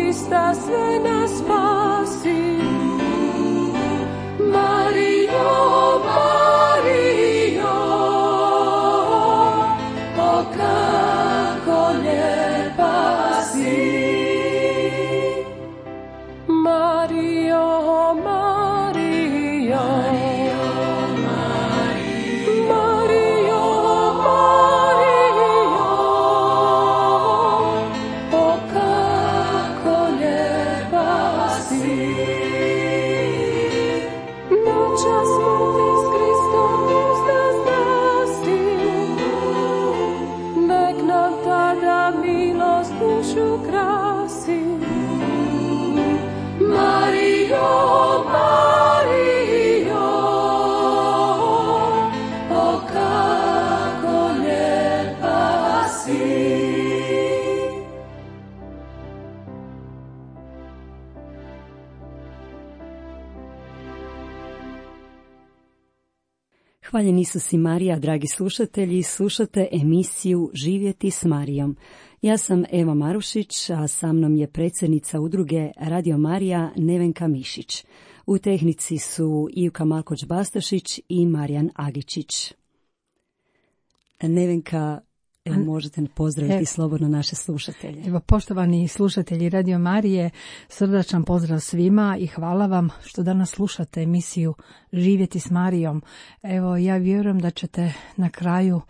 Krista sve nas spasi. Marijo, Marijo, o kako lijepa si. Marijo, Marijo, Marijo, Marijo, o kako lijepa si. Noća smrti s Kristom uzda spasi, nek nam tada milost dušu krasi. Marijo, Marijo, o kako lijepa si. Hvaljen Isus i Marija, dragi slušatelji, slušate emisiju Živjeti s Marijom. Ja sam Eva Marušić, a sa mnom je predsjednica udruge Radio Marija Nevenka Mišić. U tehnici su Ivka Markoć-Bastašić i Marijan Agičić. Nevenka, možete pozdraviti slobodno naše slušatelje. Evo, poštovani slušatelji Radio Marije, srdačan pozdrav svima i hvala vam što danas slušate emisiju Živjeti s Marijom. Evo, ja vjerujem da ćete na kraju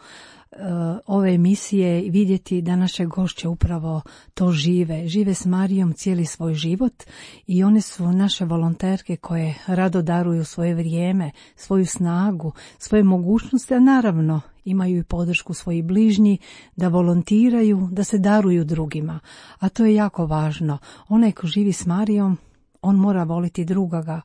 ove emisije vidjeti da naše gošće upravo to žive s Marijom cijeli svoj život i one su naše volonterke koje rado daruju svoje vrijeme, svoju snagu, svoje mogućnosti, a naravno imaju i podršku svojih bližnji da volontiraju, da se daruju drugima, a to je jako važno. Onaj ko živi s Marijom, on mora voliti drugoga,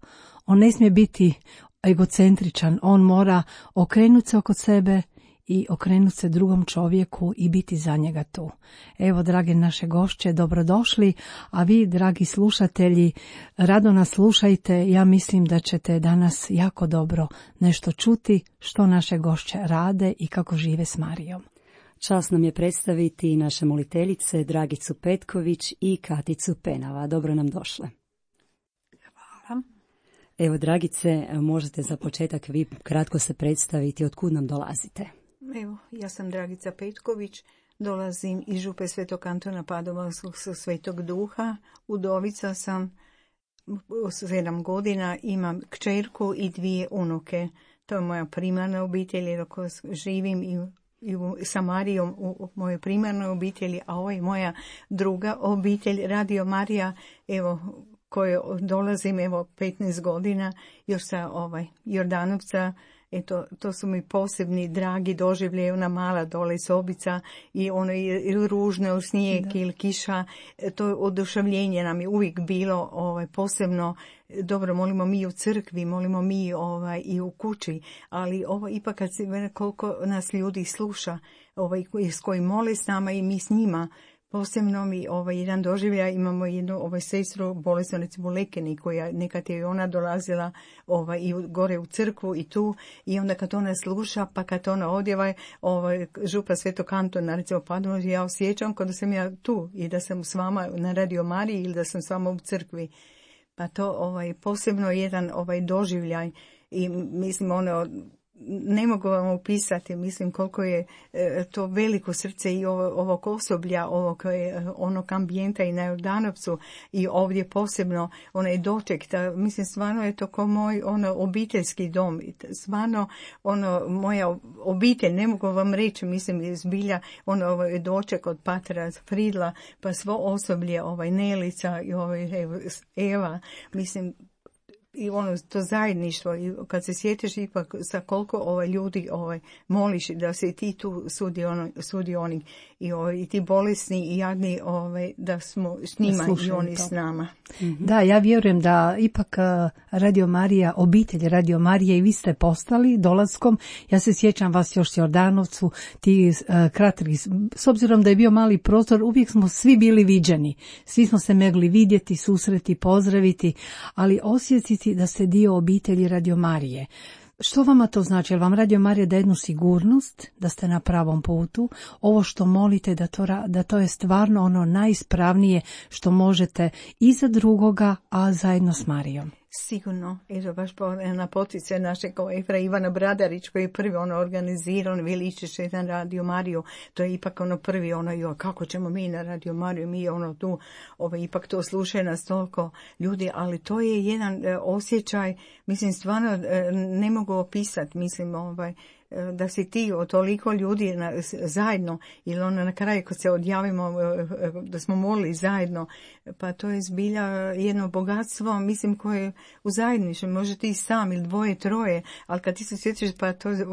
on ne smije biti egocentričan, on mora okrenuti se oko sebe i okrenuti se drugom čovjeku i biti za njega tu. Evo, drage naše gošće, dobrodošli, a vi, dragi slušatelji, rado nas slušajte. Ja mislim da ćete danas jako dobro nešto čuti što naše gošće rade i kako žive s Marijom. Čast nam je predstaviti naše moliteljice Dragicu Petković i Katicu Penava. Dobro nam došle. Hvala. Evo, Dragice, možete za početak vi kratko se predstaviti, otkud nam dolazite? Evo, ja sam Dragica Petković, dolazim iz župe Svetog Antona Padovanskog Svetog Duha, udovica sam 7 godina, imam kćerku i 2 unuke. To je moja primarna obitelj, jer ako živim i sa Marijom u mojoj primarnoj obitelji, a ovo je moja druga obitelj, Radio Marija, evo, koje dolazim, evo, 15 godina, još sa Jordanovca. Eto, to su mi posebni, dragi doživlje, ona mala dole sobica i ono ili ružno, ili snijeg, ili kiša. To oduševljenje nam je uvijek bilo posebno. Dobro, molimo mi u crkvi, molimo mi i u kući, ali ovo ipak kad se koliko nas ljudi sluša, s koji mole s nama i mi s njima. Posebno mi jedan doživljaj, imamo jednu sestru bolesnicu Lekeni, koja nekad je ona dolazila i gore u crkvu i tu, i onda kad ona sluša, pa kad ona odjeva župa Svetog Antona, recimo Padova, ja osjećam kada sam ja tu i da sam s vama na Radio Mariji ili da sam s vama u crkvi. Pa to posebno jedan doživljaj i mislim ne mogu vam opisati, mislim koliko je to veliko srce i ovog osoblja, onog ambijenta i na Jordanovcu i ovdje posebno onaj doček, mislim stvarno je to kao moj obiteljski dom, stvarno moja obitelj, ne mogu vam reći, mislim zbilja doček od patra Fridla, pa svo osoblje, Nelica i Eva, mislim i to zajedništvo, i kad se sjetiš ipak sa koliko ljudi moliš da se ti tu sudionik i ti bolesni i jadni da smo s njima i oni s nama. Da, ja vjerujem da ipak Radio Marija, obitelj Radio Marije, i vi ste postali dolaskom. Ja se sjećam vas još s Jordanovcu, ti kratki, s obzirom da je bio mali prostor, uvijek smo svi bili viđeni. Svi smo se mogli vidjeti, susreti, pozdraviti, ali osjetiti da ste dio obitelji Radio Marije. Što vama to znači? Jel vam Radio Marija da jednu sigurnost, da ste na pravom putu? Ovo što molite, da to je stvarno ono najispravnije što možete i za drugoga, a zajedno s Marijom? Sigurno, eto baš na poticaj našeg Efra Ivana Bradarić koji je prvi organizirao, veličiš jedan Radio Mariju, to je ipak prvi kako ćemo mi na Radio Mariju, mi tu, ipak to slušaju nas toliko ljudi, ali to je jedan osjećaj, mislim stvarno ne mogu opisati, mislim da si ti od toliko ljudi zajedno, ili na kraju kad se odjavimo da smo molili zajedno, pa to je zbilja jedno bogatstvo, mislim koje u zajedništvu, može ti sam ili dvoje, troje, ali kad ti se sjetiš pa to je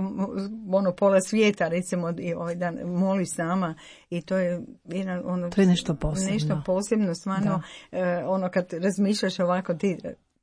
pola svijeta recimo i ovaj dan moliš sama i to je jedan to je nešto posebno. Nešto posebno, stvarno kad razmišljaš ovako ti,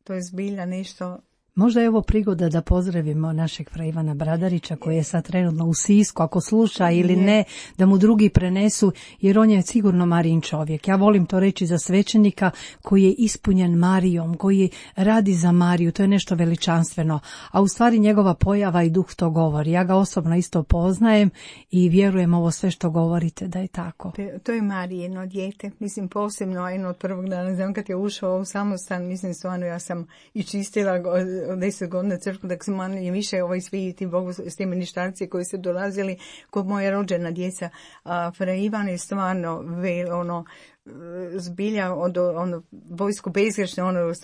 to je zbilja nešto. Možda je ovo prigoda da pozdravimo našeg fra Ivana Bradarića koji je sad trenutno u Sisku, ako sluša ili ne, da mu drugi prenesu, jer on je sigurno Marijin čovjek. Ja volim to reći za svećenika koji je ispunjen Marijom, koji radi za Mariju, to je nešto veličanstveno. A u stvari njegova pojava i duh to govori. Ja ga osobno isto poznajem i vjerujem ovo sve što govorite da je tako. To je Marijino dijete, mislim posebno jedno od prvog dana, znam kad je ušao u samostan, mislim stvarno ja sam i čistila 10 godina crkvu, da sam manje više svi ti bogosloveni štarci koji su dolazili kod moje rođena djeca. A fra Ivan je stvarno zbilja vojsko bezgrešno,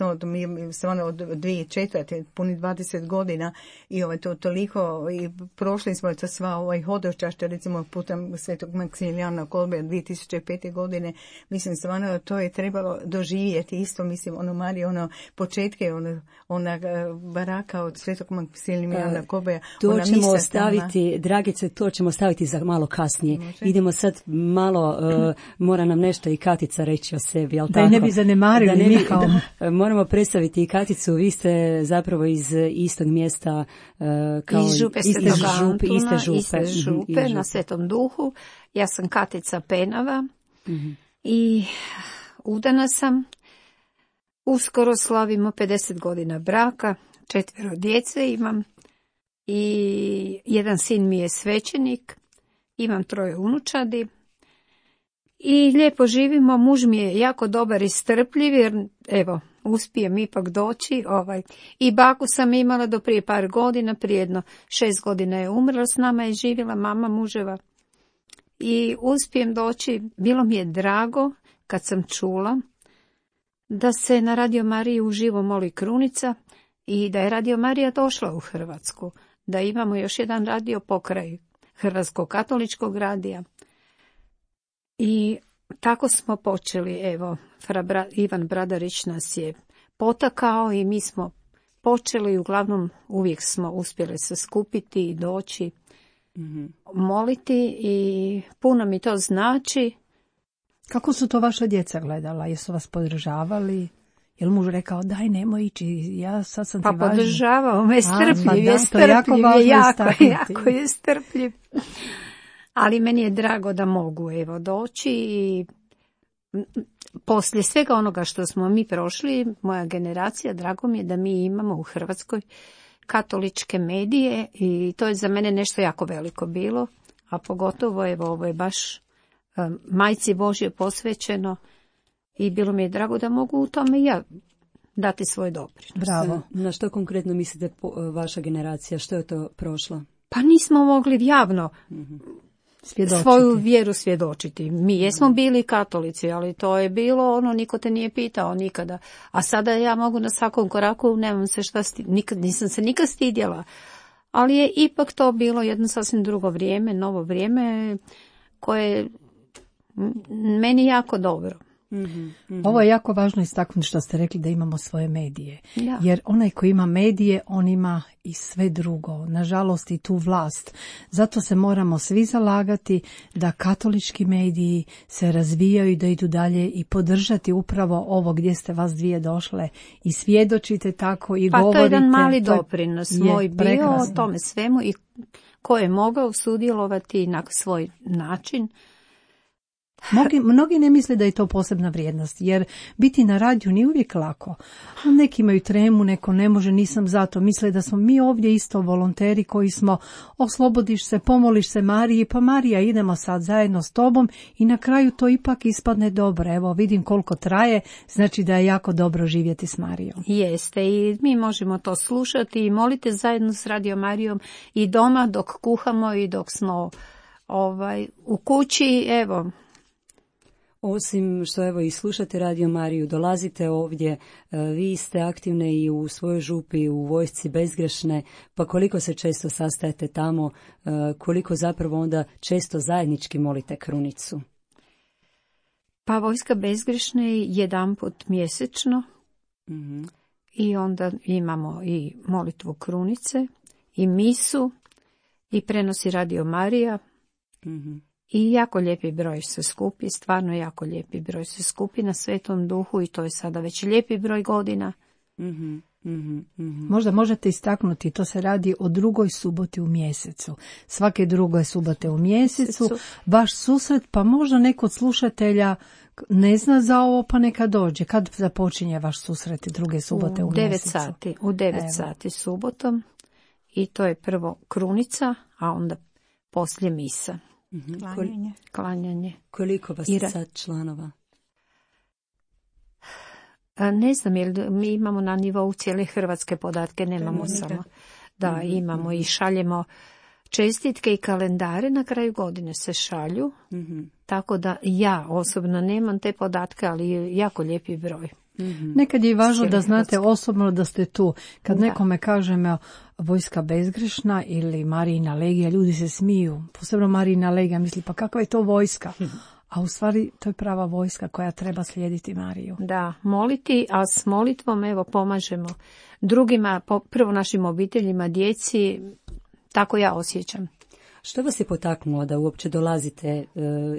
stvarno od 2004. puni 20 godina i to toliko i prošli smo to sva hodočašća, recimo putem Svetog Maksimilijana Kolbe 2005. godine, mislim stvarno to je trebalo doživjeti isto, mislim Marija, početke ona baraka od Svetog Maksimilijana Kolbe. To ćemo ostaviti, Dragice, to ćemo staviti za malo kasnije. Može? Idemo sad malo, mora nam nešto i Katica reći o sebi, jel' tako? Da ne bi zanemarili mi kao... Moramo predstaviti i Katicu, vi ste zapravo iz istog mjesta kao iz Župe iste župe na Svetom Duhu. Ja sam Katica Penava i udana sam. Uskoro slavimo 50 godina braka, 4 djece imam i jedan sin mi je svećenik, imam 3 unučadi. I lijepo živimo, muž mi je jako dobar i strpljiv, jer evo, uspijem ipak doći. I baku sam imala do prije par godina, prije jedno 6 godina je umrla, s nama je živjela mama muževa. I uspijem doći, bilo mi je drago kad sam čula da se na Radio Mariji uživo moli krunica i da je Radio Marija došla u Hrvatsku, da imamo još jedan radio pokraj Hrvatskog katoličkog radija. I tako smo počeli, evo, Ivan Bradarić nas je potakao i mi smo počeli, uglavnom uvijek smo uspjeli se skupiti i doći, moliti i puno mi to znači. Kako su to vaša djeca gledala? Jesu vas podržavali? Jel muž rekao, daj nemoj ići, ja sad sam ti važna? Pa podržavao me, strpljiv jako je strpljiv. Ali meni je drago da mogu doći i poslije svega onoga što smo mi prošli, moja generacija, drago mi je da mi imamo u Hrvatskoj katoličke medije i to je za mene nešto jako veliko bilo, a pogotovo ovo je baš Majci Božje posvećeno i bilo mi je drago da mogu u tome i ja dati svoj doprinos. Bravo. Na što konkretno mislite vaša generacija, što je to prošlo? Pa nismo mogli javno svoju vjeru svjedočiti. Mi jesmo bili katolici, ali to je bilo niko te nije pitao nikada. A sada ja mogu na svakom koraku, nemam se šta nisam se nikad stidjela. Ali je ipak to bilo jedno sasvim drugo vrijeme, novo vrijeme koje je meni jako dobro. Ovo je jako važno istaknuti što ste rekli da imamo svoje medije. Da. Jer onaj koji ima medije, on ima i sve drugo. Nažalost i tu vlast. Zato se moramo svi zalagati da katolički mediji se razvijaju i da idu dalje i podržati upravo ovo gdje ste vas dvije došle i svjedočite tako i govorite. Pa to je jedan mali doprinos moj bio o tome svemu i ko je mogao sudjelovati na svoj način. Mnogi ne misle da je to posebna vrijednost, jer biti na radiju nije uvijek lako. Neki imaju tremu, neko ne može, nisam zato. Misle da smo mi ovdje isto volonteri koji smo oslobodiš se, pomoliš se Mariji, pa Marija idemo sad zajedno s tobom i na kraju to ipak ispadne dobro. Evo vidim koliko traje, znači da je jako dobro živjeti s Marijom. Jeste i mi možemo to slušati i molite zajedno s Radio Marijom i doma dok kuhamo i dok smo u kući, evo. Osim što evo i slušate Radio Mariju, dolazite ovdje, vi ste aktivne i u svojoj župi, u Vojsci Bezgrešne, pa koliko se često sastajete tamo, koliko zapravo onda često zajednički molite krunicu? Pa Vojska Bezgrešne jedanput mjesečno i onda imamo i molitvu krunice i misu i prenosi Radio Marija. I jako lijepi broj se skupi, stvarno jako lijepi broj se skupi na Svetom Duhu i to je sada već lijepi broj godina. Možda možete istaknuti, to se radi o 2. suboti u mjesecu. Svake 2. subote u mjesecu, vaš susret, pa možda neko od slušatelja ne zna za ovo, pa neka dođe. Kad započinje vaš susret 2. subote u mjesecu? U 9 sati subotom i to je prvo krunica, a onda poslije misa. Klanjanje. Koliko vas je sad članova? Ne znam, jer mi imamo na nivou cijele Hrvatske podatke, nemamo samo. Da, imamo i šaljemo čestitke i kalendare, na kraju godine se šalju, tako da ja osobno nemam te podatke, ali je jako lijepi broj. Nekad je važno da znate osobno da ste tu. Kad nekome kažemo Vojska Bezgrešna ili Marijina legija, ljudi se smiju. Posebno Marijina legija misli, pa kakva je to vojska? A u stvari to je prava vojska koja treba slijediti Mariju. Da, moliti, a s molitvom evo pomažemo drugima, prvo našim obiteljima, djeci, tako ja osjećam. Što vas je potaknulo da uopće dolazite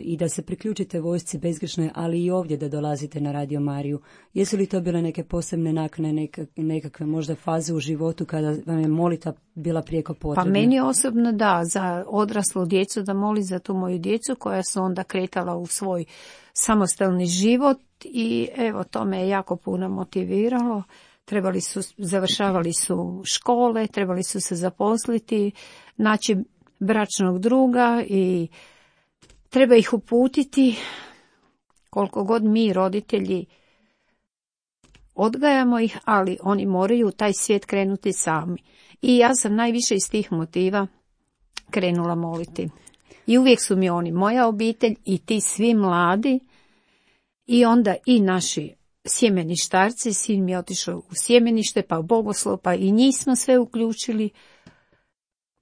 i da se priključite Vojsci Bezgrešne, ali i ovdje da dolazite na Radio Mariju? Jesu li to bile neke posebne nakane, nekakve možda faze u životu kada vam je molitva bila prijeko potrebna? Pa meni osobno da, za odraslu djecu, da moli za tu moju djecu koja su onda kretala u svoj samostalni život i evo to me je jako puno motiviralo. Završavali su škole, trebali su se zaposliti, naći bračnog druga i treba ih uputiti. Koliko god mi roditelji odgajamo ih, ali oni moraju u taj svijet krenuti sami. I ja sam najviše iz tih motiva krenula moliti. I uvijek su mi oni moja obitelj i ti svi mladi i onda i naši sjemeništarci, sin mi je otišao u sjemenište, pa u bogoslov, pa i njih smo sve uključili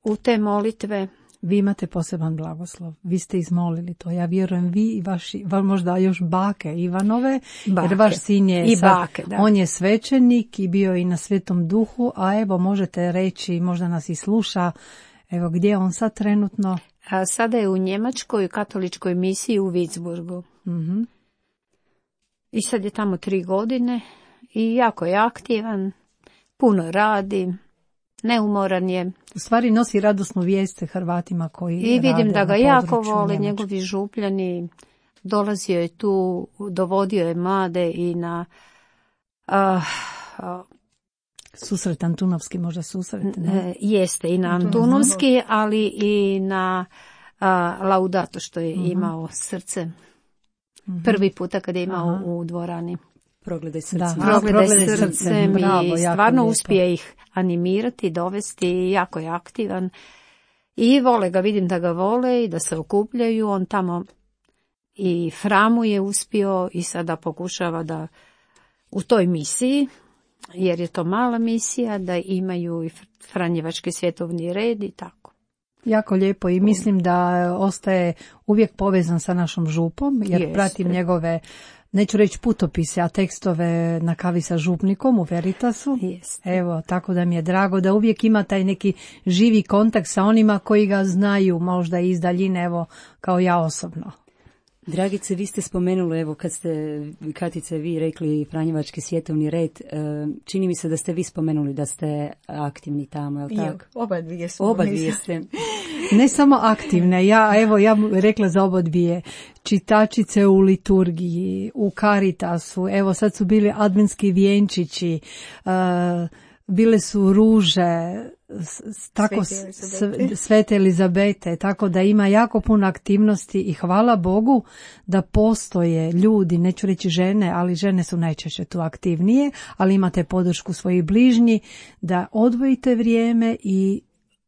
u te molitve. Vi imate poseban blagoslov. Vi ste izmolili to. Ja vjerujem vi i vaši, možda još bake Ivanove, jer vaš sin je i bake, da. On je svećenik i bio i na Svetom Duhu, a evo možete reći, možda nas i sluša, evo gdje je on sad trenutno? Sada je u Njemačkoj katoličkoj misiji u Würzburgu. I sad je tamo 3 godine i jako je aktivan, puno radi. Neumoran je. U stvari nosi radosnu vijest Hrvatima koji i vidim da ga jako vole njegovi župljani. Dolazio je tu, dovodio je mlade i na susret Antunovski, možda susret, ne? Jeste i na Antunovski, ali i na Laudato što je imao srce. Prvi puta kad je imao u dvorani. Progledaj srcem. Progledaj srcem i stvarno uspije ih animirati, dovesti, jako je aktivan. I vole ga, vidim da ga vole i da se okupljaju. On tamo i Framu je uspio i sada pokušava da u toj misiji, jer je to mala misija, da imaju i Franjevački svjetovni red i tako. Jako lijepo i mislim da ostaje uvijek povezan sa našom župom, jer pratim njegove, neću reći putopise, a tekstove na kavi sa župnikom u Veritasu. Evo, tako da mi je drago da uvijek ima taj neki živi kontakt sa onima koji ga znaju, možda iz daljine, evo, kao ja osobno. Dragice, vi ste spomenuli, evo kad ste, Katice, vi rekli Franjevački svjetovni red, čini mi se da ste vi spomenuli da ste aktivni tamo, je li tako? Oba dvije ste. Ne samo aktivne, ja rekla za obodbije, čitačice u liturgiji, u Caritasu, evo sad su bili adventski vjenčići, bile su ruže, tako Svete Elizabete, tako da ima jako puno aktivnosti i hvala Bogu da postoje ljudi, neću reći žene, ali žene su najčešće tu aktivnije, ali imate podršku svojih bližnji, da odvojite vrijeme i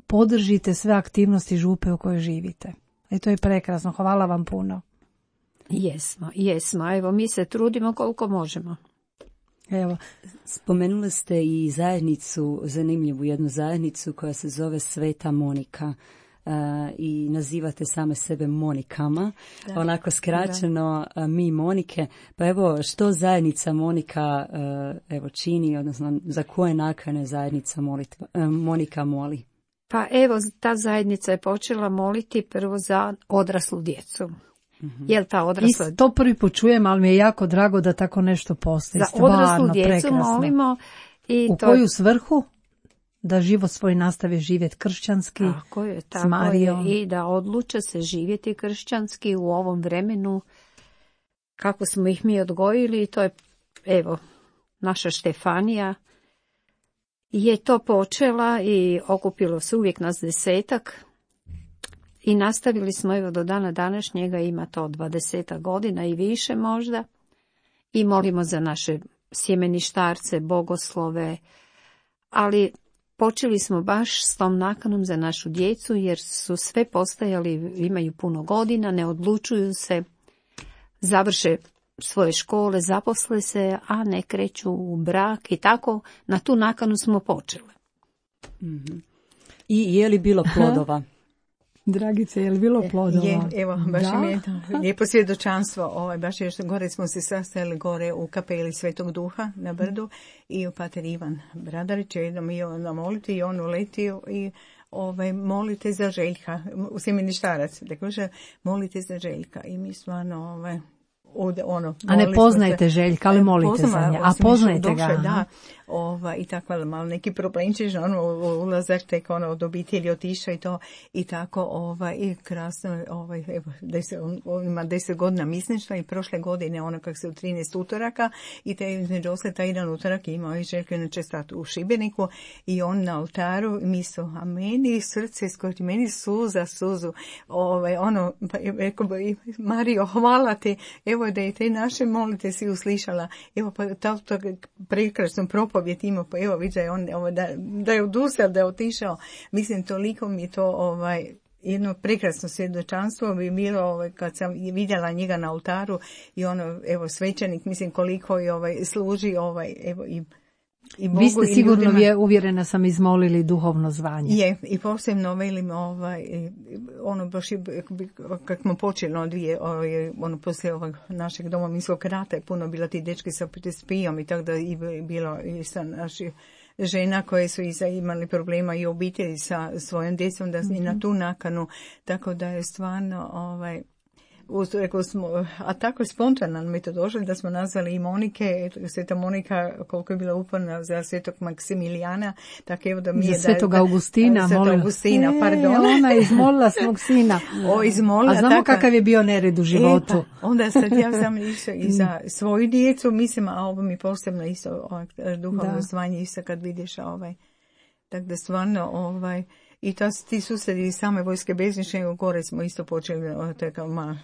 podržite sve aktivnosti župe u kojoj živite. I to je prekrasno, hvala vam puno. Jesmo, evo mi se trudimo koliko možemo. Evo, spomenuli ste i zajednicu, zanimljivu jednu zajednicu koja se zove Sveta Monika i nazivate same sebe Monikama, onako skraćeno mi Monike. Pa evo, što zajednica Monika čini, odnosno za koje nakane zajednica Monika moli? Pa evo, ta zajednica je počela moliti prvo za odraslu djecu. Jel ta odrasla... To prvi put čujem, ali mi je jako drago da tako nešto postoji. Za odraslu djecu prekrasno. Molimo. U koju svrhu? Da život svoj nastavi živjeti kršćanski, tako s Marijom. I da odluče se živjeti kršćanski u ovom vremenu kako smo ih mi odgojili. To je, evo, naša Štefanija je to počela i okupilo se uvijek nas 10. I nastavili smo, evo, do dana današnjega, ima to 20 godina i više možda. I molimo za naše sjemeništarce, bogoslove, ali počeli smo baš s tom nakanom za našu djecu, jer su sve postajali, imaju puno godina, ne odlučuju se, završe svoje škole, zaposle se, a ne kreću u brak i tako. Na tu nakanu smo počeli. Mm-hmm. I je li bilo plodova? Dragice, je li bilo plodova? Evo, baš mi je lijepo svjedočanstvo. Baš još gore smo se sastajali gore u kapeli Svetog Duha na Brdu i pater Ivan Bradarić je jednom i on na moliti i on uletio i molite za Željka, u sjemeništarac, da kaže molite za Željka i mi stvarno a ne poznajete Željka, ali molite za nje. A poznajete ga? Da, i tako malo neki problemčić, ulazak tek od obitelji otišao i to i tako i krasno, on ima 10 godina misništva i prošle godine kako se u 13 utoraka i te između osle taj jedan utorak imao i Željko inače stat u Šibeniku i on na oltaru misao, a meni srce skoči, meni suzu, rekao Mario, hvala ti, evo da je te naše molite si uslišala, evo pa to prekrasno propovjed ima, pa evo vidi da je on da je odustao, da je otišao, mislim toliko mi je to jedno prekrasno svjedočanstvo bi bilo kad sam vidjela njega na oltaru i evo svećenik, mislim koliko je služi evo i Bogu. Vi ste sigurno, uvjerena sam, izmolili duhovno zvanje. Je, i posebno velim baš kako smo počeli poslije ovog našeg domovinskog rata je puno bilo ti dečki sa PTSP-om i tako da i bilo i sa naših žena koje su imali problema i obitelji sa svojom djecom da i na tu nakanu, tako da je stvarno a tako je spontano mi to došlo da smo nazvali i Monike, Sveta Monika koliko je bila uporna za Svetog Maksimilijana, tako evo da mi je Svetog Augustina, pardon. Ona je izmolila svog sina. Izmolila, a znamo kakav je bio nered u životu. Onda sad ja sam išla i za svoju djecu, mislim, a ovo mi posebno isto duhovno zvanje isto kad vidiš tako da stvarno i ti susredi same vojske beznične, gore smo isto počeli od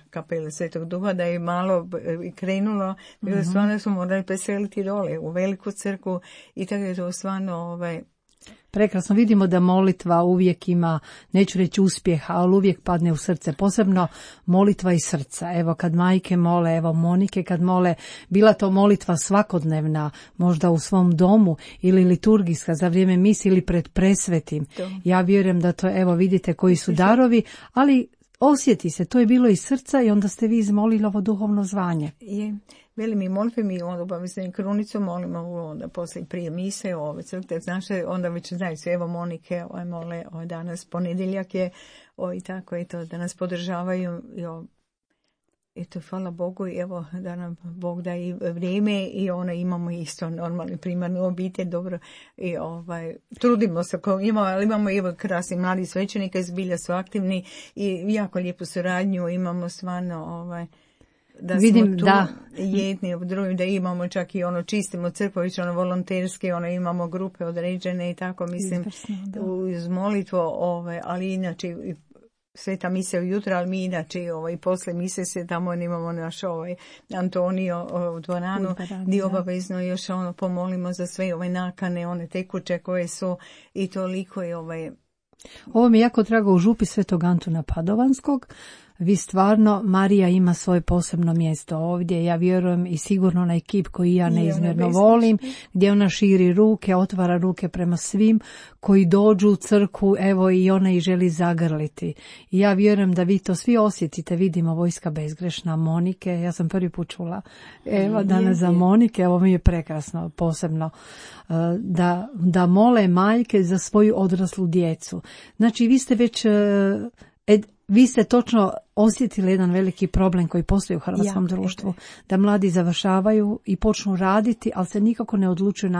kapele Svetog Duha, da je malo krenulo, da stvarno smo morali preseliti dole u veliku crkvu i tako je to stvarno Prekrasno, vidimo da molitva uvijek ima, neću reći uspjeha, ali uvijek padne u srce, posebno molitva iz srca. Evo kad majke mole, evo Monike kad mole, bila to molitva svakodnevna, možda u svom domu ili liturgijska za vrijeme mise ili pred presvetim. Ja vjerujem da to, evo vidite koji su darovi, ali osjeti se, to je bilo iz srca i onda ste vi izmolili ovo duhovno zvanje. Je. Veli mi molitve, mi obavezno krunicu molimo, onda poslije prije mise, crkve, znaš, onda već znaju se, evo Monike, mole, danas ponedjeljak je, i tako je to, da nas podržavaju, Eto, hvala Bogu, evo da nam Bog da i vrijeme i imamo isto normalni primarnu obitelj, dobro, i trudimo se kao imamo, ali imamo evo krasni mladi svećenika, zbilja su aktivni i jako lijepu suradnju imamo stvarno, da vidim, smo tu da. jedni u drugim, da imamo čak i čistimo crkvović, volonterski, imamo grupe određene i tako, mislim, uz molitvu, ali inače sveta misija ujutro, ali mi inače i posle mise se tamo imamo naš Antonio u dvoranu, gdje obavezno još pomolimo za sve nakane, one tekuće koje su i toliko je Ovo mi je jako drago u župi Svetog Antuna Padovanskog. Vi stvarno, Marija ima svoje posebno mjesto ovdje, ja vjerujem i sigurno na ekip koji ja neizmjerno volim, gdje ona širi ruke, otvara ruke prema svim koji dođu u crkvu, evo i ona ih želi zagrliti. I ja vjerujem da vi to svi osjetite, vidimo Vojska bezgrešna, Monike, ja sam prvi put čula, evo danas za Monike, ovo mi je prekrasno, posebno, da mole majke za svoju odraslu djecu. Znači vi ste već... Vi ste točno osjetili jedan veliki problem koji postoji u hrvatskom društvu, da mladi završavaju i počnu raditi, ali se nikako ne odlučuju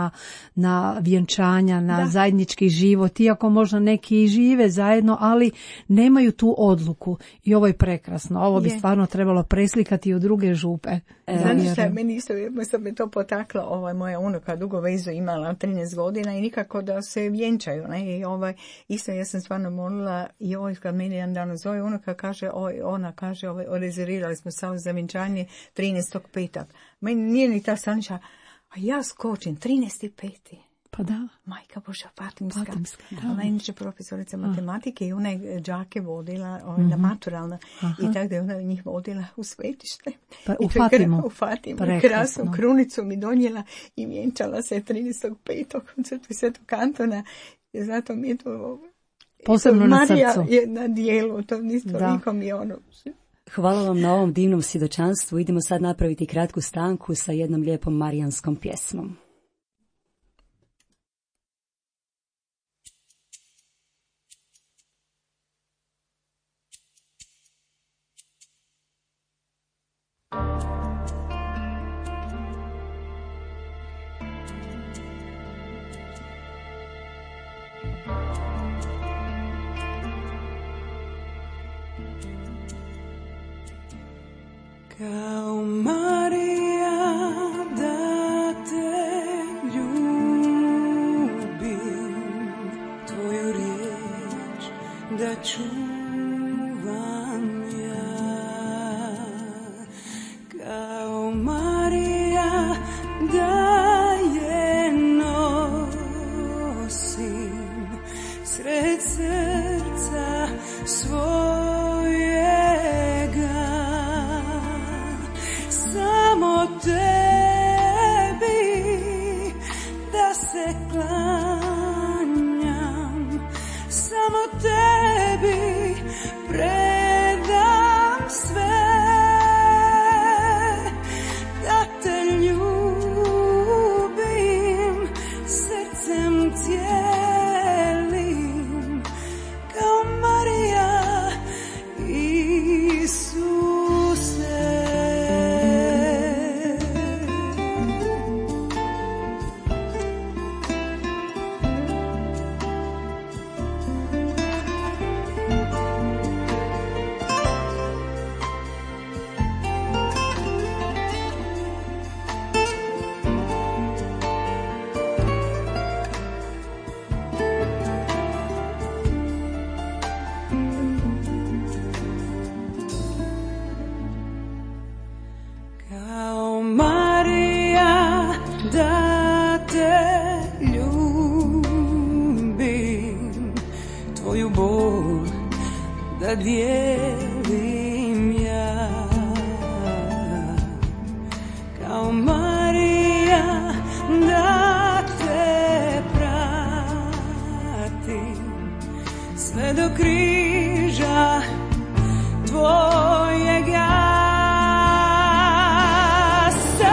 na vjenčanja, na zajednički život, iako možda neki i žive zajedno, ali nemaju tu odluku. I ovo je prekrasno. Ovo bi stvarno trebalo preslikati u druge župe. Znači šta, meni isto me to potaklo, moja unuka dugo vezu imala 13 godina i nikako da se vjenčaju. Ne? I isto ja sam stvarno molila i kad meni jedan dan zove unuka, ona kaže, rezervirali smo samo za vjenčanje 13.5. Meni nije ni ta sanča, a ja skočim 13.5. Pa da. Majka Božja, Fatimska. Ona je inače profesorica matematike i ona je đake vodila, na maturalna. I tako da je ona njih vodila u svetište. Pa, u Fatimu. U Fatimu. Krasnu krunicu mi donijela i vjenčala se 13.5. u crkvi Svetog Antona. I zato mi je to... Posebno na srcu. Marija je na dijelu, to nikom je Hvala vam na ovom divnom svjedočanstvu. Idemo sad napraviti kratku stanku sa jednom lijepom marijanskom pjesmom. Kao Marija da te ljubim, tvoju riječ da čuvam ja. Kao Marija da je nosim sred srca svojega. Tebi da se klanjam, samo tebi predam sve, da te ljubim srcem cijelim, kao Marija Isuse. Dijelim ja, kao Marija da te pratim sve do križa tvojega. Sve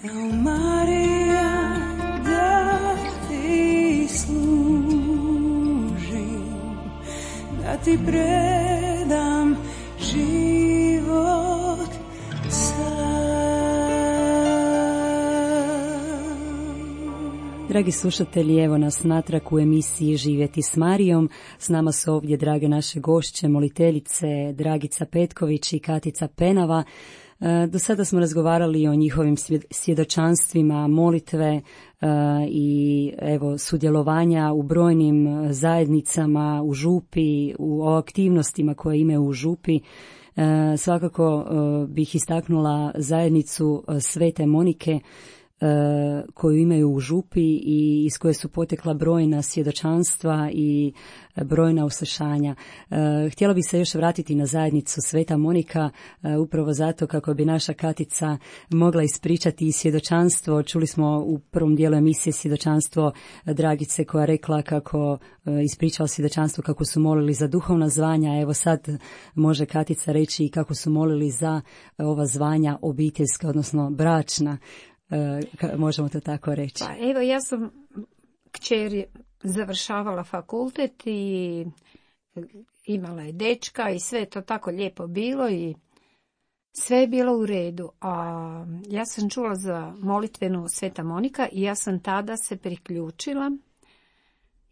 Evo Marija, da ti služim, da ti predam život sam. Dragi slušatelji, evo nas natrag u emisiji Živjeti s Marijom. S nama su ovdje drage naše gošće, moliteljice Dragica Petković i Katica Penava. Do sada smo razgovarali o njihovim svjedočanstvima, molitve i evo sudjelovanja u brojnim zajednicama u župi, o aktivnostima koje imaju u župi. Svakako bih istaknula zajednicu Svete Monike koju imaju u župi i iz koje su potekla brojna svjedočanstva i brojna uslišanja. Htjela bih se još vratiti na zajednicu Sveta Monika, upravo zato kako bi naša Katica mogla ispričati i svjedočanstvo. Čuli smo u prvom dijelu emisije svjedočanstvo Dragice koja rekla kako ispričala svjedočanstvo kako su molili za duhovna zvanja. Evo sad može Katica reći i kako su molili za ova zvanja obiteljska, odnosno bračna. Možemo to tako reći. Pa evo, ja sam kćer završavala fakultet i imala je dečka i sve to tako lijepo bilo i sve je bilo u redu. A ja sam čula za molitvenu Sveta Monika i ja sam tada se priključila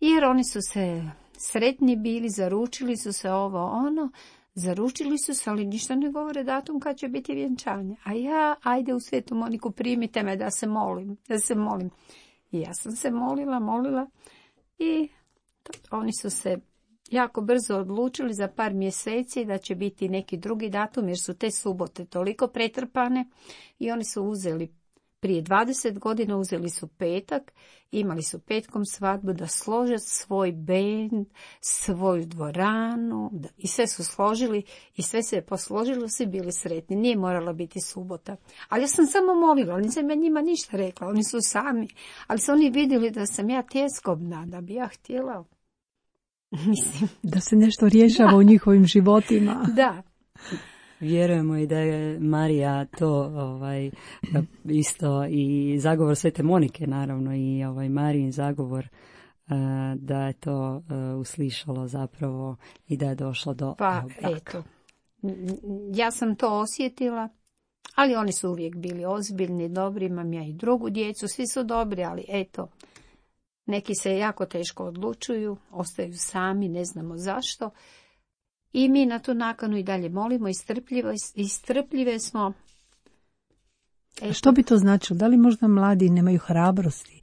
jer oni su se sretni bili, zaručili su se ovo ono. Zaručili su se, ali ništa ne govore datum kad će biti vjenčanje. A ja, ajde u Svetu Moniku, primite me da se molim. I ja sam se molila i oni su se jako brzo odlučili za par mjeseci da će biti neki drugi datum, jer su te subote toliko pretrpane i oni su uzeli prije 20 godina uzeli su petak, imali su petkom svadbu da slože svoj bend, svoju dvoranu i sve su složili i sve se je posložilo, svi bili sretni. Nije morala biti subota. Ali ja sam samo molila, nisam ja njima ništa rekla, oni su sami. Ali su oni vidjeli da sam ja tjeskobna, da bi ja htjela. Mislim. Da se nešto rješava u njihovim životima. Da. Vjerujemo i da je Marija to isto i zagovor Svete Monike naravno i Marijin zagovor da je to uslišalo zapravo i da je došlo do braka. Eto, ja sam to osjetila, ali oni su uvijek bili ozbiljni, dobri, imam ja i drugu djecu, svi su dobri, ali eto, neki se jako teško odlučuju, ostaju sami, ne znamo zašto. I mi na tu nakanu i dalje molimo i strpljive smo. Eto. Što bi to značilo? Da li možda mladi nemaju hrabrosti?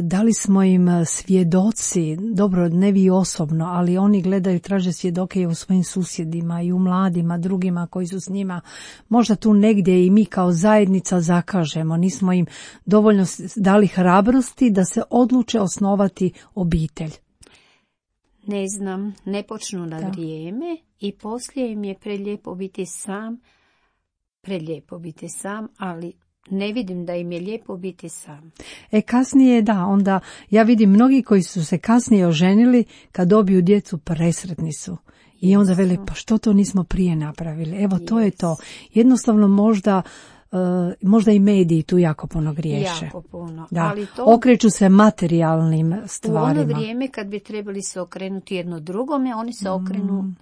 Da li smo im svjedoci? Dobro, ne vi osobno, ali oni gledaju, traže svjedoke i u svojim susjedima i u mladima, drugima koji su s njima. Možda tu negdje i mi kao zajednica zakažemo. Nismo im dovoljno dali hrabrosti da se odluče osnovati obitelj. Ne znam, ne počnu na vrijeme i poslije im je prelijepo biti sam, ali ne vidim da im je lijepo biti sam. Kasnije onda ja vidim mnogi koji su se kasnije oženili, kad dobiju djecu presretni su. I onda veli, pa što to nismo prije napravili? Evo, to je to. Jednostavno možda i mediji tu jako puno griješe. Jako puno. Da. Ali to okreću se materijalnim stvarima. U ono vrijeme kad bi trebali se okrenuti jedno drugome, oni se okrenu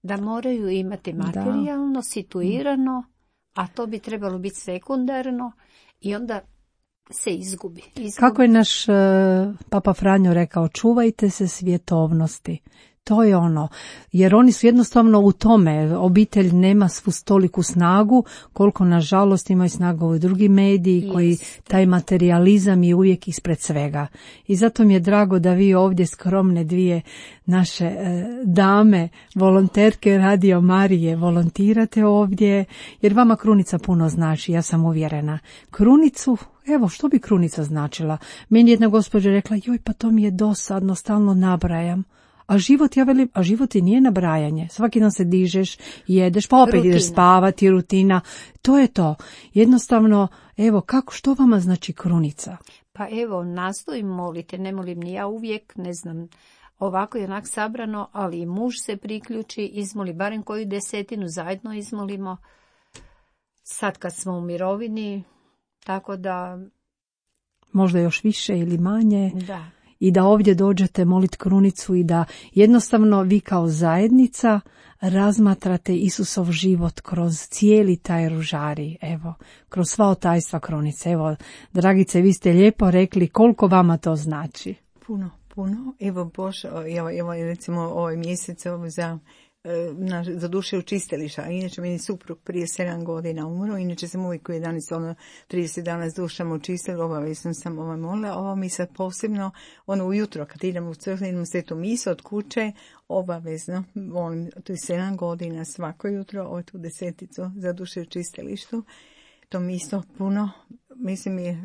da moraju imati materijalno, situirano, a to bi trebalo biti sekundarno i onda se izgubi. Kako je naš Papa Franjo rekao, čuvajte se svjetovnosti. To je ono, jer oni su jednostavno u tome, obitelj nema svu toliku snagu, koliko nažalost imaju snagu i drugi mediji koji taj materializam je uvijek ispred svega. I zato mi je drago da vi ovdje skromne dvije naše dame, volonterke Radio Marije, volontirate ovdje, jer vama krunica puno znači, ja sam uvjerena. Krunicu, evo što bi krunica značila? Meni jedna gospođa rekla, joj pa to mi je dosadno, stalno nabrajam. A život, ja velim, a život i nije nabrajanje. Svaki dan se dižeš, jedeš, pa opet ideš spavati, rutina. To je to. Jednostavno, evo, što vama znači krunica? Pa evo, nastojim moliti, ne molim ni ja uvijek, ne znam, ovako i onak sabrano, ali i muž se priključi, izmoli, barem koju 10 zajedno izmolimo. Sad kad smo u mirovini, Tako da... Možda još više ili manje. Da. I da ovdje dođete moliti krunicu i da jednostavno vi kao zajednica razmatrate Isusov život kroz cijeli taj ružari, evo, kroz sva otajstva krunice. Evo, Dragice, vi ste lijepo rekli koliko vama to znači. Puno. Evo Bož, evo recimo ovaj mjesec za duše učistilišta. Inače, meni suprug prije 7 godina umro, inače sam uvijek u 30 dana s dušama učistila, obavezno sam molila. Ovo mi sad posebno, ujutro kad idemo u crkvu, idemo svetu misa od kuće, obavezno, to je 7 godina svako jutro, tu 10 za duše učistilištu. To mi isto puno, mislim je...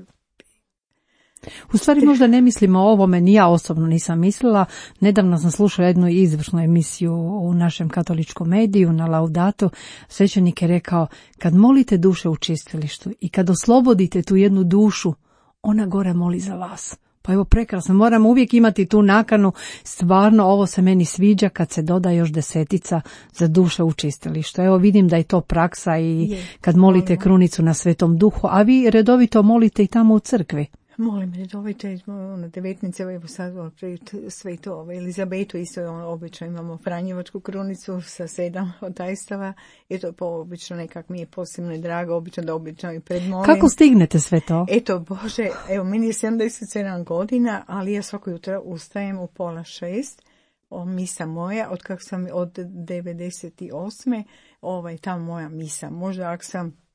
U stvari možda ne mislimo o ovome, ni ja osobno nisam mislila. Nedavno sam slušala jednu izvršnu emisiju u našem katoličkom mediju na Laudatu. Svećenik je rekao, kad molite duše u čistilištu i kad oslobodite tu jednu dušu, ona gore moli za vas. Pa evo prekrasno, moramo uvijek imati tu nakanu, stvarno ovo se meni sviđa kad se doda još 10 za duše u čistilištu. Evo vidim da je to praksa i kad molite krunicu na Svetom Duhu, a vi redovito molite i tamo u crkvi. Molim redovito, 19. evo sad sve to, Elizabetu isto obično imamo Franjevačku krunicu sa 7 otajstava, i to obično nekak mi je posebno drago, obično i predmolim. Kako stignete sve to? Eto Bože, evo meni je 77 godina, ali ja svako jutro ustajem u 5:30, misa moja, od 98. Ta moja misa, možda ako sam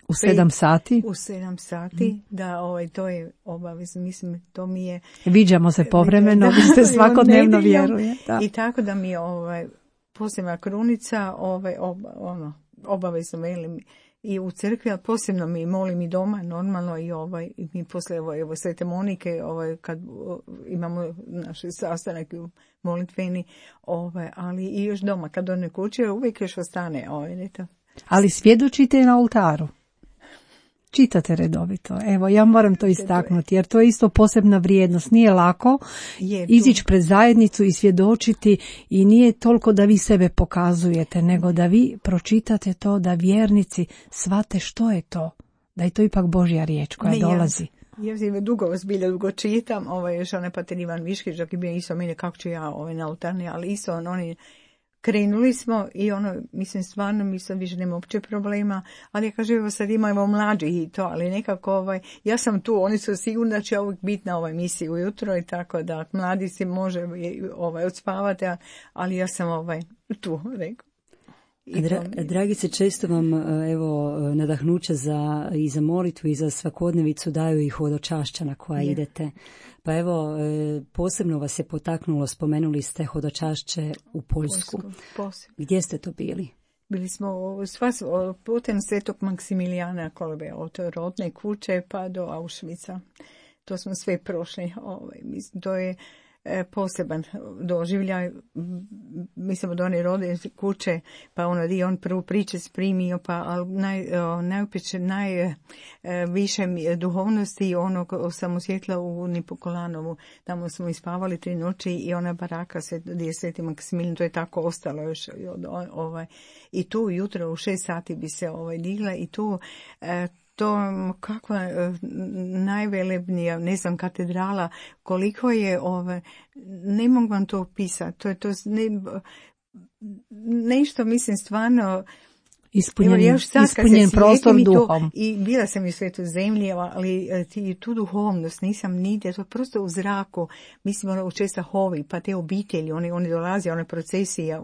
u 7 sati? U 7 sati, da, to je obavezno, mislim, to mi je... Viđamo se povremeno, vi ste svakodnevno vjeruje. Da. I tako da mi je posebna krunica, obavezno velim i u crkvi, ali posebno mi molim i doma, normalno, i mi posle Svete Monike, kad imamo naš sastanak molitveni, ali i još doma, kad one kuće, uvijek još ostane, Ali svjedočite na oltaru. Čitate redovito. Evo, ja moram to istaknuti, jer to je isto posebna vrijednost. Nije lako izići pred zajednicu i svjedočiti, i nije toliko da vi sebe pokazujete, nego da vi pročitate to, da vjernici shvate što je to, da je to ipak Božja riječ koja dolazi. Ja dugo čitam, još Pater Ivan Viškić, dok je bio isto mene, kako ću ja na oltarni, ali isto oni krenuli smo i mislim stvarno, mi sad više nema uopće problema, ali ja kažem, evo sad imamo mlađi i to, ali nekako ja sam tu, oni su sigurni da će uvijek biti na ovoj misiji ujutro i tako da mladi si može odspavati, ali ja sam tu, rekao. Dragice, često vam nadahnuće i za molitvu i za svakodnevicu daju i hodočašća na koja idete. Pa evo, posebno vas je potaknulo, spomenuli ste hodočašće u Poljsku. Gdje ste to bili? Bili smo putem Svetog Maksimilijana Kolbe, od rodne kuće pa do Auschwitza. To smo sve prošli. To je poseban doživljaj, mislim od one rodne kuće, pa on prvu priče primio, pa najviše duhovnosti sam osjetila u Nipokolanovu. Tamo smo ispavali 3 noći i ona baraka gdje je Sveti Maksimilijan, to je tako ostalo još. I tu jutro u 6 sati bi se digla i tu to kakva najvelebnija, ne znam, katedrala, koliko je ne mogu vam to opisati, to nešto, mislim, stvarno ispunjen prostor duhom. I bila sam i u Svetoj zemlji, ali tu duhovnost nisam nigdje, to je prosto u zraku, mislim, u česta hovi, pa te obitelji, oni dolaze, one procesije,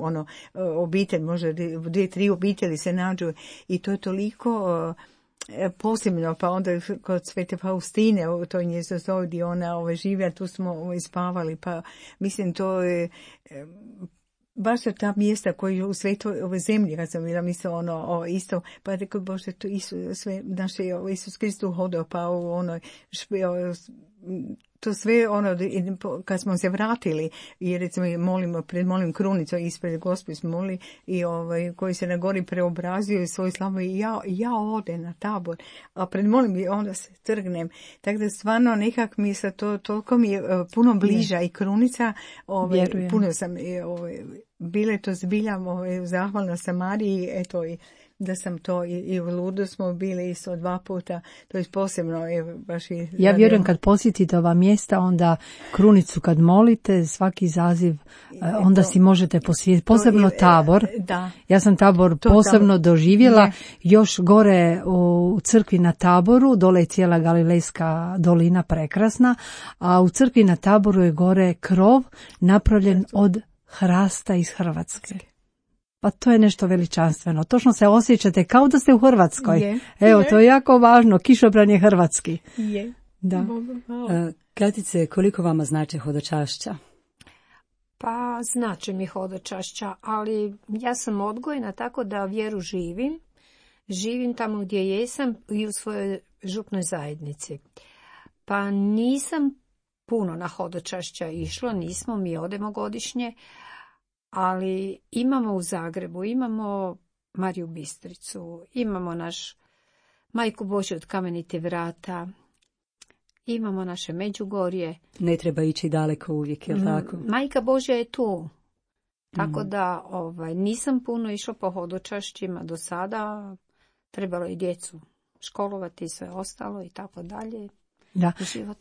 obitelj, možda 2-3 obitelji se nađu i to je toliko posebno, pa onda kod Svete Faustine, u toj njezoj gdje ona živja, tu smo ispavali, pa mislim to je baš ta mjesta koji u svetoj ove zemlji, kad sam bila mislila isto, pa rekao, Bože, to sve naše Isus Kristus hodao, pa to sve kad smo se vratili i recimo molim krunicu ispred Gospod smo molili i koji se na gori preobrazio i svoj slavu i ja odem na tabor, a pred molim i onda se trgnem. Tako da stvarno nekak mi se to toliko mi je puno bliža i krunica, puno sam bile to zbilja zahvalna sam Mariji, eto i da sam to i u Ludu smo bili isto 2 puta, to je posebno baš i... Ja vjerujem kad posjetite ova mjesta, onda krunicu kad molite, svaki zaziv, onda si možete posjetiti, posebno Tabor. Da. Ja sam Tabor posebno doživjela, još gore u crkvi na Taboru, dole je cijela Galilejska dolina prekrasna, a u crkvi na Taboru je gore krov napravljen od hrasta iz Hrvatske. Pa to je nešto veličanstveno. Točno se osjećate kao da ste u Hrvatskoj. To je jako važno. Kišobran je hrvatski. Da. Katice, koliko vama znači hodočašća? Pa znači mi hodočašća, ali ja sam odgojena tako da vjeru živim. Živim tamo gdje jesam i u svojoj župnoj zajednici. Pa nisam puno na hodočašća išla, nismo, mi odemo godišnje, ali imamo u Zagrebu, imamo Mariju Bistricu, imamo naš Majku Božju od Kamenitih vrata, imamo naše Međugorje. Ne treba ići daleko uvijek, je li tako? Majka Božja je tu, tako da nisam puno išla po hodočašćima do sada, trebalo i djecu školovati i sve ostalo i tako dalje.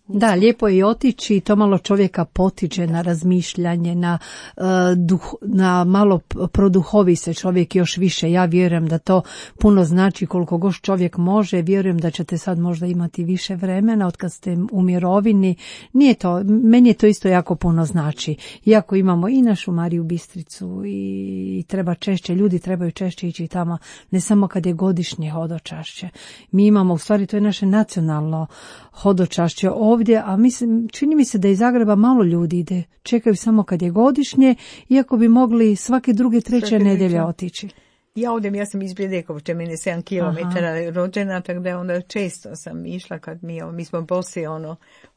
Da, lijepo je otići, to malo čovjeka potiče na razmišljanje, na malo produhovi se čovjek još više. Ja vjerujem da to puno znači koliko god čovjek može. Vjerujem da ćete sad možda imati više vremena od kad ste u mirovini. Nije to, meni je to isto jako puno znači. Iako imamo i našu Mariju Bistricu i treba češće, ljudi trebaju češće ići tamo, ne samo kad je godišnje hodočašće. Mi imamo, u stvari to je naše nacionalno hodočašće ovdje, a čini mi se da iz Zagreba malo ljudi ide, čekaju samo kad je godišnje, iako bi mogli svake druge, treće nedjelje otići. Ja sam iz Bredekovče, meni 7 km rođena, tako da onda često sam išla kad mi smo poslije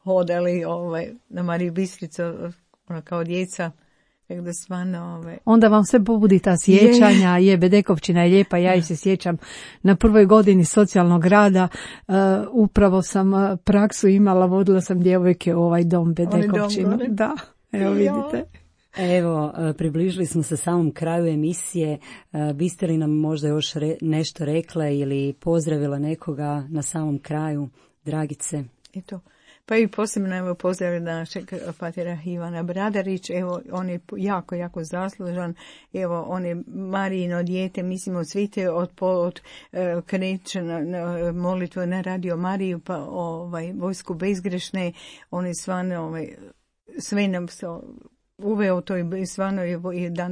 hodali na Mariju Bistricu kao djeca. Da stvarno, Onda vam sve pobudi ta sjećanja, Bedekovčina je lijepa, ja se sjećam na prvoj godini socijalnog rada, upravo sam praksu imala, vodila sam djevojke u ovaj dom Bedekovčinu. Da, evo vidite. Evo, približili smo se samom kraju emisije, biste li nam možda još nešto rekle ili pozdravila nekoga na samom kraju, Dragice? Eto. Pa i posebno pozdravljam našeg patera Ivana Bradarić, on je jako, jako zaslužan, on je Marijino dijete, mislimo svi te kreće na molitvu na Radio Mariju, pa vojsku bezgrešne, on je stvarno sve nam uveo to i stvarno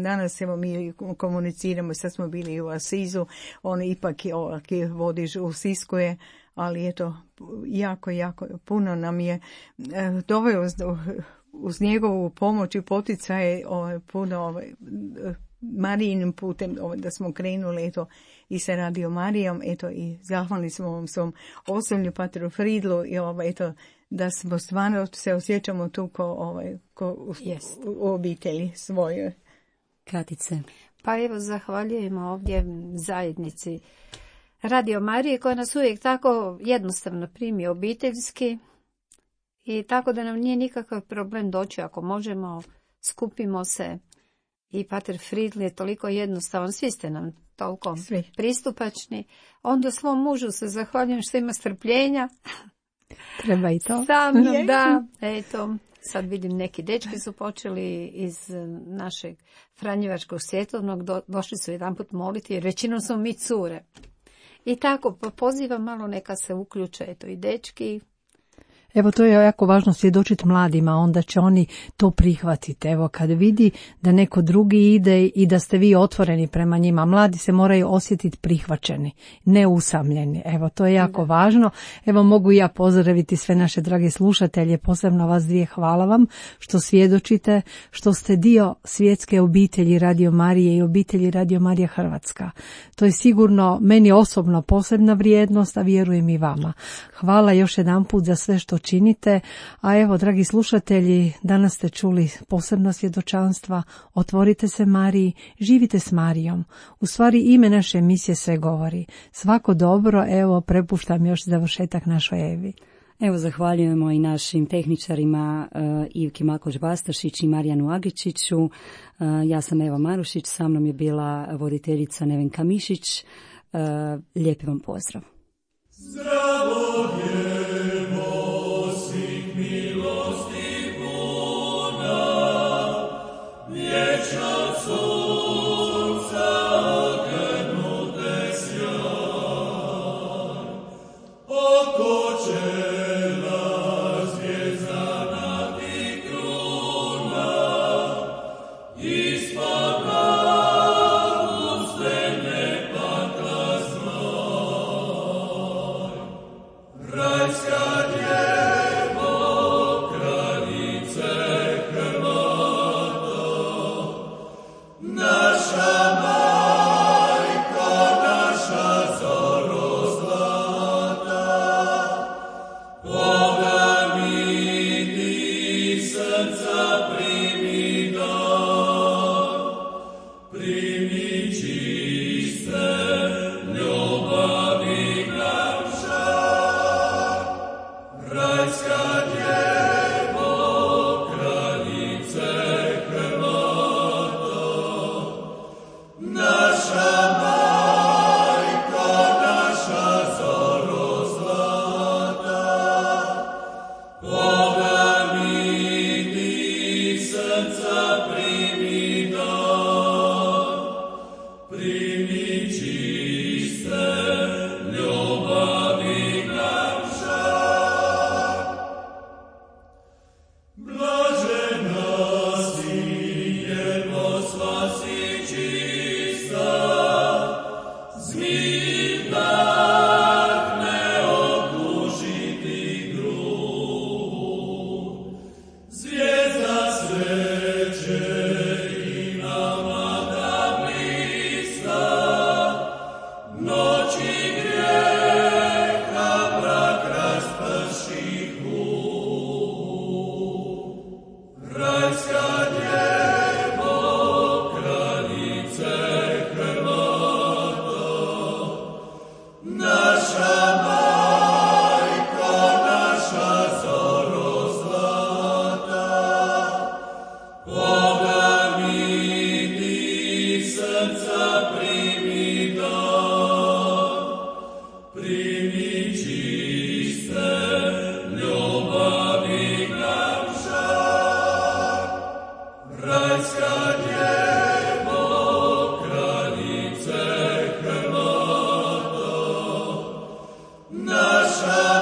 danas mi komuniciramo, sad smo bili u Asizu, on ipak vodi u Siskuje, ali eto, jako, jako puno nam je doveo uz njegovu pomoć i poticaje puno Marijinim putem da smo krenuli i sa Radio Marijom, i zahvalni smo ovom svom osoblju Patru Fridlu i da smo stvarno se osjećamo tu ko u obitelji svojoj. Katice. Pa evo, zahvaljujemo ovdje zajednici Radio Marije koja nas uvijek tako jednostavno primi obiteljski i tako da nam nije nikakav problem doći ako možemo, skupimo se i Pater Fridl je toliko jednostavan, svi ste nam toliko pristupačni. Onda svom mužu se zahvaljujem što ima strpljenja. Treba i to. Sam, da, eto. Sad vidim neki dečki su počeli iz našeg Franjevačkog svjetovnog, došli su jedanput moliti jer većinom su mi cure. I tako, pozivam malo neka se uključe, eto i dečki. Evo, to je jako važno svjedočiti mladima, onda će oni to prihvatiti. Evo, kad vidi da neko drugi ide i da ste vi otvoreni prema njima, mladi se moraju osjetiti prihvaćeni, ne usamljeni. Evo, to je jako važno. Evo, mogu ja pozdraviti sve naše drage slušatelje, posebno vas dvije, hvala vam što svjedočite, što ste dio svjetske obitelji Radio Marije i obitelji Radio Marija Hrvatska. To je sigurno meni osobno posebna vrijednost, a vjerujem i vama. Hvala još jedanput za sve što činite, a evo, dragi slušatelji, danas ste čuli posebna svjedočanstva, otvorite se Mariji, živite s Marijom. U stvari ime naše emisije sve govori. Svako dobro, evo, prepuštam još završetak našoj Evi. Evo, zahvaljujemo i našim tehničarima Ivki Makoš-Bastašić i Marijanu Agičiću. Ja sam Eva Marušić, sa mnom je bila voditeljica Nevenka Mišić. Lijepi vam pozdrav. Zdravo djevo, svih milosti puna, vječna sunca ognute sjaj, oko čela zvjezdana ti kruna, ispod glavu svene pakla zmaj. Rajska djevo, kraljice Hrvata, naša majko, naša zoro zlata, ognjeni srca primi dar, primi čiste ljubavi nam žar. Rajska djevo, kraljice Hrvata, naša majko, naša zoro zlata, ognjeni srca primi dar, primi čiste ljubavi nam žar. Blažena si jer posva si čista, zmij ne okužiti grud. Zvijezda sreće i nama da blista, noći grijeha mrak rasprši hud. Rajska djevo, kraljice Hrvata, naša majko, naša zoro zlata, ognjeni srca primi dar, primi čiste ljubavi nam žar. Rajska djevo, kraljice Hrvata, naša